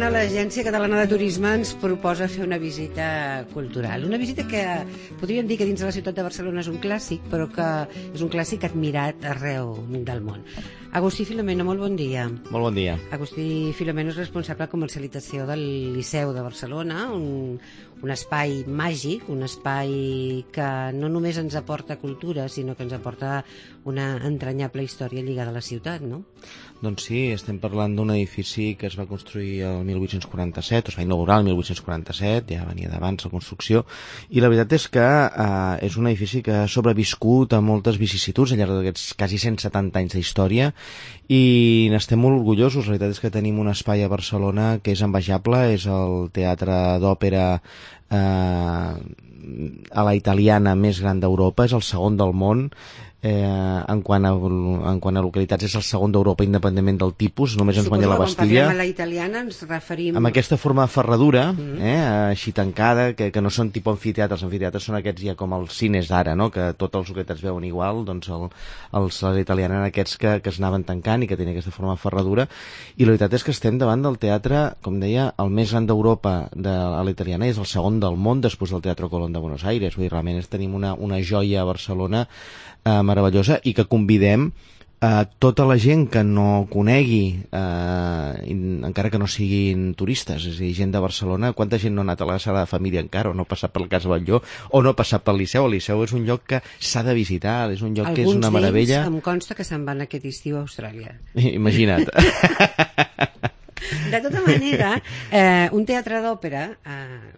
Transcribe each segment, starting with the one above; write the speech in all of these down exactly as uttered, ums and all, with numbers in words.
setmana l'Agència Catalana de Turisme ens proposa fer una visita cultural. Una visita que podríem dir que dins de la ciutat de Barcelona és un clàssic, però que és un clàssic admirat arreu del món. Agustí Filomeno, molt bon dia. Molt bon dia. Agustí Filomeno és responsable de comercialització del Liceu de Barcelona, un, un espai màgic, un espai que no només ens aporta cultura, sinó que ens aporta una entranyable història lligada a la ciutat, no? Doncs sí, estem parlant d'un edifici que es va construir el mil vuit-cents quaranta-set, es va inaugurar el mil vuit-cents quaranta-set, ja venia d'abans la construcció, i la veritat és que eh, és un edifici que ha sobreviscut a moltes vicissituds al llarg d'aquests quasi cent setanta anys d'història, i n'estem molt orgullosos. La veritat és que tenim un espai a Barcelona que és envejable, és el teatre d'òpera eh, a la italiana més gran d'Europa, és el segon del món. Eh, en, quant a, en quant a localitats és el segon d'Europa independentment del tipus, només ens guanya la Bastilla. Quan parlem a la italiana ens referim... Amb aquesta forma de ferradura, mm. eh, així tancada, que, que no són tipus amfiteatres. Els amfiteatres són aquests ja com els cines d'ara, no? Que tots els hoquets es veuen igual, doncs el, els, les italianes eren aquests que, que es anaven tancant i que tenien aquesta forma de ferradura. I la veritat és que estem davant del teatre, com deia, el més gran d'Europa de a la italiana, és el segon del món després del Teatro Colón de Buenos Aires. Vull dir, realment tenim una, una joia a Barcelona eh, meravellosa, i que convidem a tota la gent que no conegui, eh, encara que no siguin turistes, és a dir, gent de Barcelona. Quanta gent no ha anat a la Sagrada Família encara, o no ha passat pel Cas Batlló, o no ha passat pel Liceu. El Liceu és un lloc que s'ha de visitar, és un lloc Alguns que és una meravella. Alguns d'ells em consta que se'n van aquest estiu a Austràlia. Imagina't. De tota manera, eh, un teatre d'òpera eh,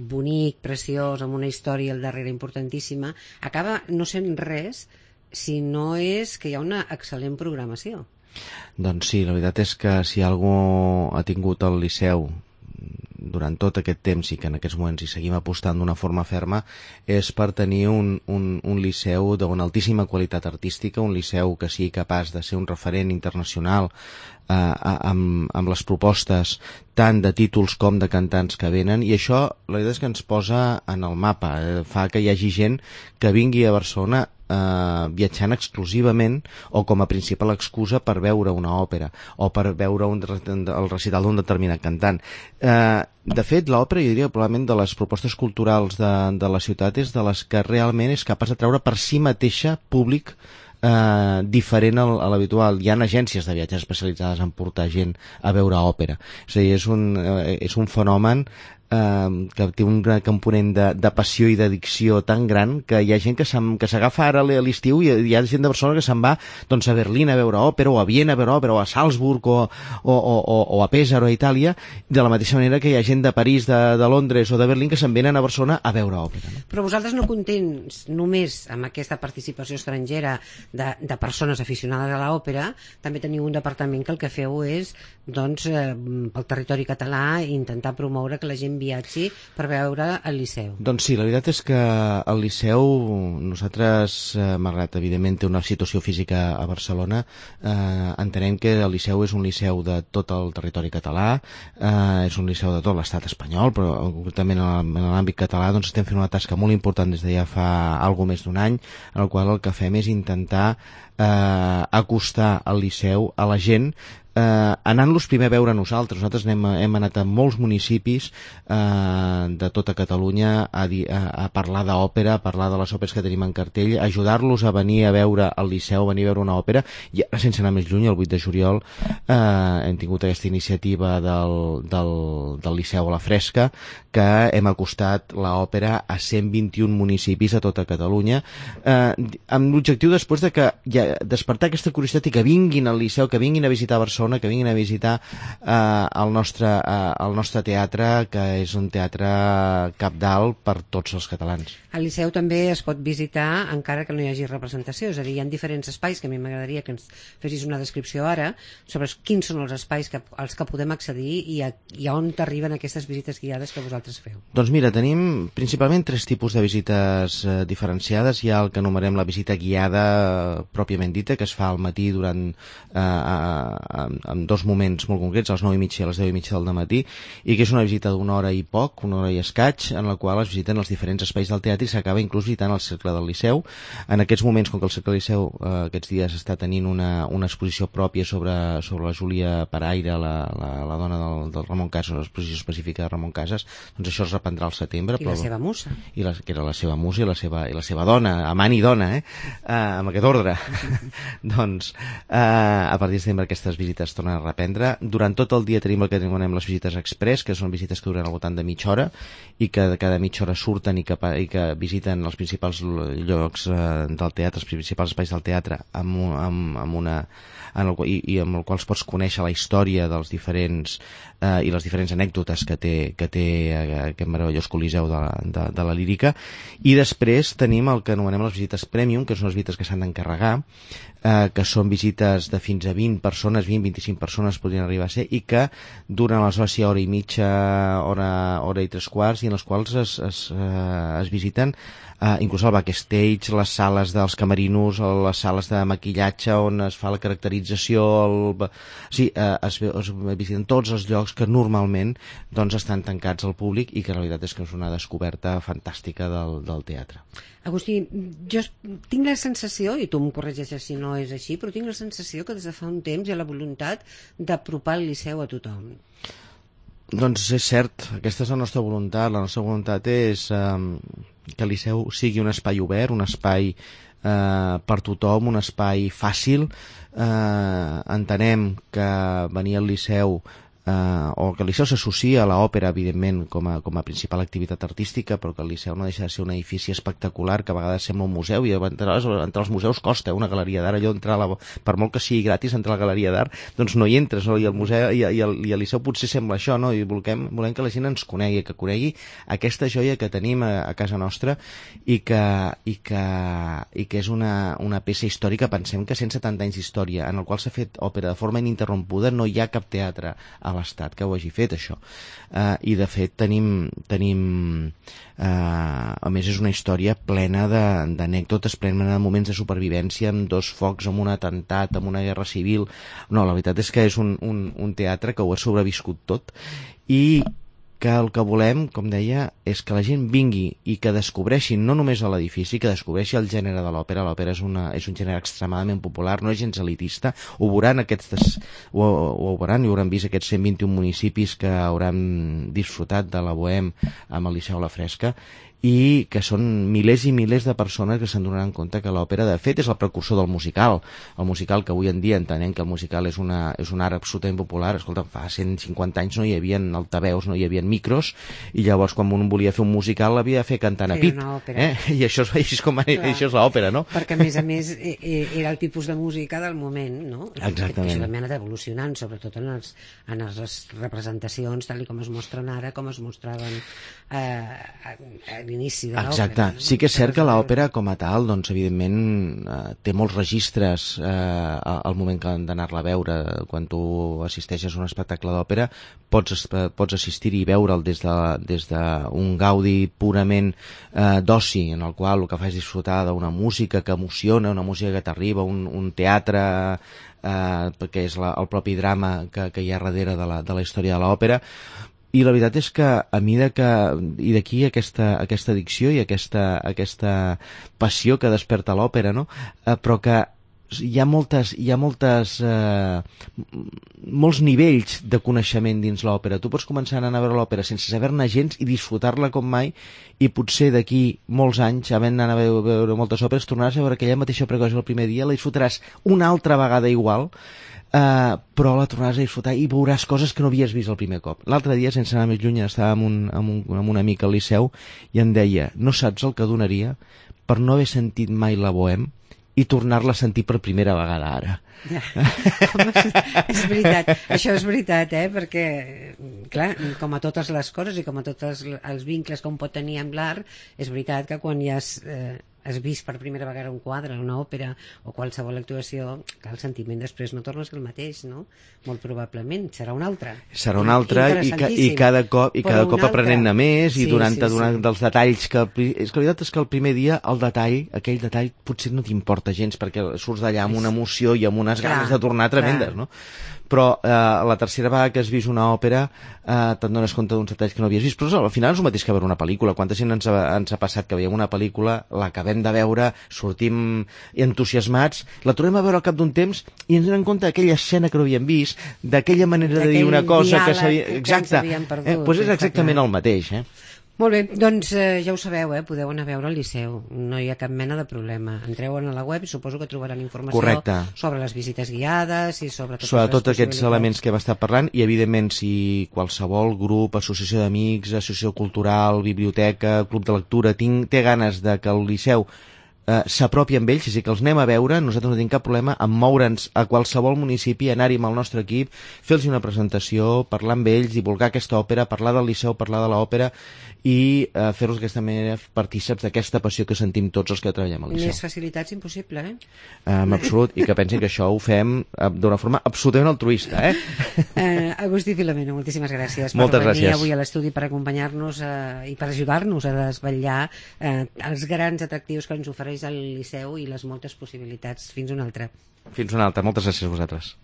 bonic, preciós, amb una història al darrere importantíssima, acaba no sent res si no és que hi ha una excel·lent programació. Doncs sí, la veritat és que si algú ha tingut el Liceu durant tot aquest temps i que en aquests moments hi seguim apostant d'una forma ferma, és per tenir un, un, un liceu d'una altíssima qualitat artística, un liceu que sigui capaç de ser un referent internacional eh, amb, amb les propostes tant de títols com de cantants que venen, i això la veritat és que ens posa en el mapa, eh, fa que hi hagi gent que vingui a Barcelona eh, viatjant exclusivament o com a principal excusa per veure una òpera o per veure un, el recital d'un determinat cantant. Eh, de fet, l'òpera, jo diria, probablement de les propostes culturals de, de la ciutat és de les que realment és capaç de treure per si mateixa públic eh, diferent al, a l'habitual. Hi ha agències de viatges especialitzades en portar gent a veure òpera. És a dir, és un, eh, és un fenomen Uh, que té un gran component de, de passió i d'addicció tan gran que hi ha gent que s'agafa ara a l'estiu i hi ha gent de Barcelona que se'n va doncs, a Berlín a veure òpera, o a Viena a veure òpera, o a Salzburg, o, o, o, o a Pésaro, a Itàlia, de la mateixa manera que hi ha gent de París, de, de Londres o de Berlín que se'n venen a Barcelona a veure òpera. No? Però vosaltres no contents només amb aquesta participació estrangera de, de persones aficionades a l'òpera, també teniu un departament que el que feu és doncs, eh, pel territori català intentar promoure que la gent viatgi per veure el Liceu. Doncs sí, la veritat és que el Liceu, nosaltres, eh, malgrat evidentment té una situació física a Barcelona, eh, entenem que el Liceu és un liceu de tot el territori català, eh, és un liceu de tot l'estat espanyol, però concretament en l'àmbit català doncs estem fent una tasca molt important des de ja fa alguna més d'un any, en el qual el que fem és intentar eh, acostar el Liceu a la gent, Eh, anant-los primer a veure nosaltres. Nosaltres hem, hem anat a molts municipis eh, de tota Catalunya a, di, a, a parlar d'òpera, a parlar de les òperes que tenim en cartell, ajudar-los a venir a veure el Liceu, a venir a veure una òpera, i ara, sense anar més lluny, el vuit de juliol eh, hem tingut aquesta iniciativa del, del, del Liceu a la Fresca, que hem acostat l'òpera a cent vint-i-un municipis a tota Catalunya, eh, amb l'objectiu després de que ja, despertar aquesta curiositat i que vinguin al Liceu, que vinguin a visitar Barcelona, que vinguin a visitar eh, el, nostre, eh, el nostre teatre, que és un teatre cabdal per tots els catalans. Al Liceu també es pot visitar encara que no hi hagi representació, és a dir, hi ha diferents espais que a mi m'agradaria que ens fessis una descripció ara sobre quins són els espais que, als que podem accedir i a, i a on t'arriben aquestes visites guiades que vosaltres feu. Doncs mira, tenim principalment tres tipus de visites eh, diferenciades. Hi ha el que anomenem la visita guiada eh, pròpiament dita, que es fa al matí durant eh, a, a, en dos moments molt concrets, a les nou i mitja i a les deu i mitja del dematí, i que és una visita d'una hora i poc, una hora i escaig, en la qual es visiten els diferents espais del teatre i s'acaba inclús visitant el Cercle del Liceu. En aquests moments, com que el Cercle del Liceu eh, aquests dies està tenint una, una exposició pròpia sobre, sobre la Júlia Paraire, la, la, la dona del, del Ramon Casas, una exposició específica de Ramon Casas, doncs això es reprendrà al setembre. I però... la seva musa. I la, que era la seva musa i la seva, i la seva dona, amant i dona, eh? Uh, amb aquest ordre. Doncs uh, a partir de setembre aquestes visites tornen a reprendre. Durant tot el dia tenim el que anomenem les visites express, que són visites que duren al voltant de mitja hora i que de cada mitja hora surten i que, i que visiten els principals llocs uh, del teatre, els principals espais del teatre amb, amb, amb una en el, i, i amb el qual pots conèixer la història dels diferents eh, i les diferents anècdotes que té, que té aquest meravellós coliseu de la, de, de la lírica. I després tenim el que anomenem les visites premium, que són les visites que s'han d'encarregar, eh, que són visites de fins a vint persones, vint a vint-i-cinc persones podrien arribar a ser, i que duren aleshores hora i mitja, hora, hora i tres quarts, i en les quals es, es, eh, es visiten Uh, inclús el backstage, les sales dels camerinos, les sales de maquillatge on es fa la caracterització, el... sí, uh, es, es visiten tots els llocs que normalment doncs, estan tancats al públic i que la veritat és que és una descoberta fantàstica del, del teatre. Agustí, jo tinc la sensació, i tu em corregeixes si no és així, però tinc la sensació que des de fa un temps hi ha la voluntat d'apropar el Liceu a tothom. Doncs és cert, aquesta és la nostra voluntat. La nostra voluntat és eh, que el Liceu sigui un espai obert, un espai eh, per tothom, un espai fàcil. Eh, entenem que venir al Liceu Uh, o que el Liceu s'associa a l'òpera, evidentment, com a, com a principal activitat artística, però que el Liceu no deixa de ser un edifici espectacular que a vegades sembla un museu, i entrar, entrar als museus costa, una galeria d'art, allò entrar a la, per molt que sigui gratis entrar a la galeria d'art, doncs no hi entres, no? I el museu i, i, el, i el Liceu potser sembla això, no? I volem, volem que la gent ens conegui, que conegui aquesta joia que tenim a, a casa nostra i que, i que, i que és una, una peça històrica. Pensem que cent setanta anys d'història en el qual s'ha fet òpera de forma ininterrompuda, no hi ha cap teatre a l'Estat que ho hagi fet, això. Uh, I de fet tenim, tenim uh, a més és una història plena d'anècdotes, plena de moments de supervivència, amb dos focs, amb un atemptat, amb una guerra civil. No, la veritat és que és un, un, un teatre que ho ha sobreviscut tot, i que el que volem, com deia, és que la gent vingui i que descobreixin no només l'edifici, que descobreixi el gènere de l'òpera. L'òpera és, una, és un gènere extremadament popular, no és gens elitista. Ho veuran, aquests, ho, ho veuran i hauran vist aquests cent vint-i-un municipis que hauran disfrutat de la Bohème amb el Liceu a la Fresca, i que són milers i milers de persones que se'n donaran compte que l'òpera de fet és el precursor del musical, el musical que avui en dia entenem que el musical és, una, és un art absolutament popular. Escolta, fa cent cinquanta anys no hi havia altaveus, no hi havia micros, i llavors quan un volia fer un musical l'havia de fer cantant a pit, eh? I això és, això és, com, això és l'òpera, no? Perquè a més a més era el tipus de música del moment, no? Exactament. Això també ha anat evolucionant, sobretot en, els, en les representacions tal com es mostren ara, com es mostraven eh, a, a l'inici de l'òpera. Exacte, no? Sí que és cert que l'òpera com a tal, doncs evidentment eh, té molts registres eh, al moment d'anar-la a veure. Quan tu assisteixes a un espectacle d'òpera pots, pots assistir-hi i veure'l des de, des d'un gaudi purament eh, d'oci, en el qual el que fa és disfrutar d'una música que emociona, una música que t'arriba, un, un teatre eh, perquè és la, el propi drama que, que hi ha darrere de la, de la història de l'òpera. I la veritat és que a mida que, i d'aquí aquesta, aquesta addicció i aquesta, aquesta passió que desperta l'òpera, no? Eh, però que hi ha moltes, hi ha moltes eh, molts nivells de coneixement dins l'òpera. Tu pots començar a anar a veure l'òpera sense saber-ne gens i disfrutar-la com mai, i potser d'aquí molts anys, havent d'anar a veure, veure moltes òperes, tornaràs a veure aquella mateixa òpera que el primer dia, la disfrutaràs una altra vegada igual, Uh, però la tornaràs a disfrutar i veuràs coses que no havies vist el primer cop. L'altre dia, sense anar més lluny, estava amb un, amb un, amb un amic al Liceu i em deia, no saps el que donaria per no haver sentit mai la Bohème i tornar-la a sentir per primera vegada ara. Ja. És veritat, això és veritat, eh? Perquè, clar, com a totes les coses i com a tots els vincles que un pot tenir amb l'art, és veritat que quan ja has, eh, has vist per primera vegada un quadre, una òpera o qualsevol actuació, que el sentiment després no torna a ser el mateix, no? Molt probablement, serà un altre. Serà un altre i, ca, i cada cop, i cada cop aprenent-ne més, i sí, durant, sí, durant sí. dels detalls que... És que la veritat és que el primer dia el detall, aquell detall potser no t'importa gens perquè surts d'allà amb una emoció i amb unes clar, ganes de tornar tremendes, clar. No? però eh, la tercera vegada que has vist una òpera eh, te'n dones compte d'uns detalls que no havies vist, però al final és el mateix que veure una pel·lícula. Quanta gent ens ha, ens ha passat que veiem una pel·lícula, l'acabem de veure, sortim entusiasmats, la tornem a veure al cap d'un temps i ens donem compte d'aquella escena que no havíem vist, d'aquella manera de dir una cosa que s'havia... Exacte, perdut, eh, doncs és exactament el mateix, eh? Molt bé, doncs eh, ja ho sabeu, eh? Podeu anar a veure al Liceu, no hi ha cap mena de problema. Entreu a la web i suposo que trobaran informació Correcte. sobre les visites guiades i sobre totes sobre les tots aquests elements que hem estat parlant i evidentment si qualsevol grup, associació d'amics, associació cultural, biblioteca, club de lectura tinc, té ganes de que el Liceu eh, s'apropi amb ells, és a dir, que els anem a veure, nosaltres no tenim cap problema en moure'ns a qualsevol municipi, anar-hi amb el nostre equip, fer-los una presentació, parlar amb ells, divulgar aquesta òpera, parlar del Liceu, parlar de l'òpera i eh, fer-los d'aquesta manera partíceps d'aquesta passió que sentim tots els que treballem al Liceu. Més facilitats impossible, eh? En absolut, i que pensin que això ho fem eh, d'una forma absolutament altruista, eh? eh Agustí Filomeno, moltíssimes gràcies per Moltes venir gràcies. avui a l'estudi per acompanyar-nos eh, i per ajudar-nos a desvetllar eh, els grans atractius que ens ofereix el Liceu i les moltes possibilitats. Fins una altra. Fins una altra. Moltes gràcies a vosaltres.